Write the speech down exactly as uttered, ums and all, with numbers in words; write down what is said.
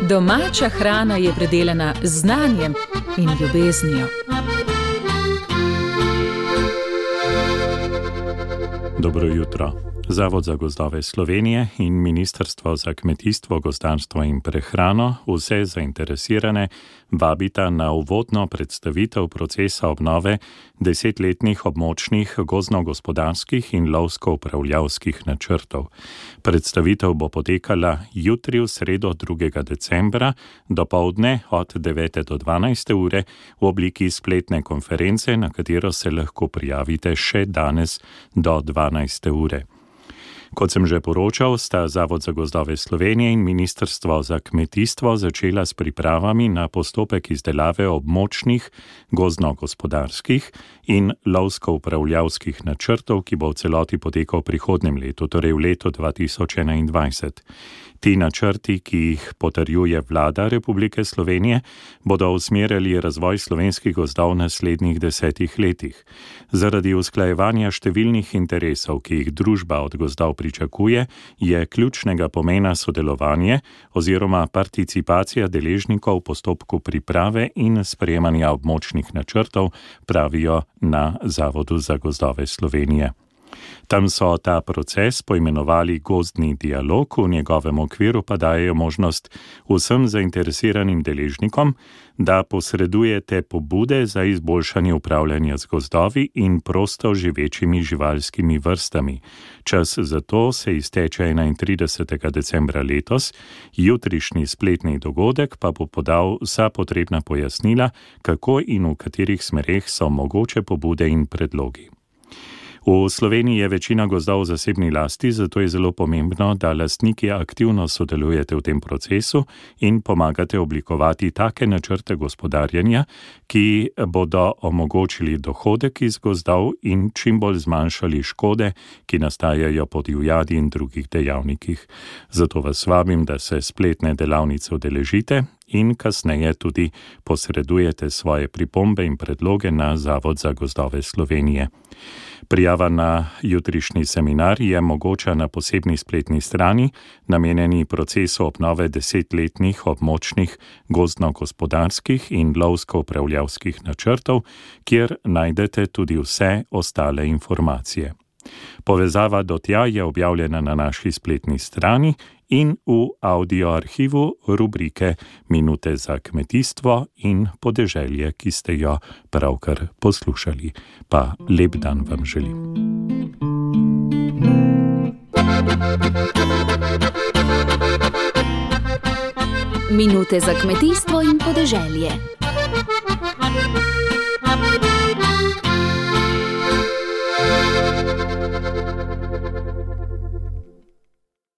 Domača hrana je predelana z znanjem in ljubeznijo. Dobro jutro. Zavod za gozdove Slovenije in Ministrstvo za kmetijstvo, gozdarstvo in prehrano vse zainteresirane vabita na uvodno predstavitev procesa obnove desetletnih območnih gozdno-gospodarskih in lovsko-upravljavskih načrtov. Predstavitev bo potekala jutri v sredo drugega decembra dopoldne od devete do dvanajste ure v obliki spletne konference, na katero se lahko prijavite še danes do dvanajste ure. Kot sem že poročal, sta Zavod za gozdove Slovenije in Ministrstvo za kmetijstvo začela s pripravami na postopek izdelave območnih gozdno-gospodarskih in lovsko-upravljavskih načrtov, ki bo v celoti potekal v prihodnjem letu, torej v letu dva tisoč enaindvajset. Ti načrti, ki jih potrjuje Vlada Republike Slovenije, bodo usmerjali razvoj slovenskih gozdov v naslednjih desetih letih. Zaradi usklajevanja številnih interesov, ki jih družba od gozdov pričakuje, je ključnega pomena sodelovanje oziroma participacija deležnikov v postopku priprave in sprejemanja območnih načrtov, pravijo na Zavodu za gozdove Slovenije. Tam so ta proces poimenovali gozdni dialog, v njegovem okviru pa dajejo možnost vsem zainteresiranim deležnikom, da posredujete pobude za izboljšanje upravljanja z gozdovi in prosto živečimi živalskimi vrstami. Čas za to se izteče enaintridesetega decembra letos, jutrišnji spletni dogodek pa bo podal vsa potrebna pojasnila, kako in v katerih smereh so mogoče pobude in predlogi. V Sloveniji je večina gozdov v zasebni lasti, zato je zelo pomembno, da lastniki aktivno sodelujete v tem procesu in pomagate oblikovati take načrte gospodarjenja, ki bodo omogočili dohodek iz gozdov in čim bolj zmanjšali škode, ki nastajajo po divjadi in drugih dejavnikih. Zato vas vabim, da se spletne delavnice udeležite in kasneje tudi posredujete svoje pripombe in predloge na Zavod za gozdove Slovenije. Prijava na jutrišnji seminar je mogoča na posebni spletni strani, namenjeni procesu obnove desetletnih območnih gozdno-gospodarskih in lovsko-upravljavskih načrtov, kjer najdete tudi vse ostale informacije. Povezava do tja je objavljena na naši spletni strani in v audio arhivu rubrike Minute za kmetijstvo in podeželje, ki ste jo pravkar poslušali. Pa lep dan vam želim. Minute za kmetijstvo in podeželje.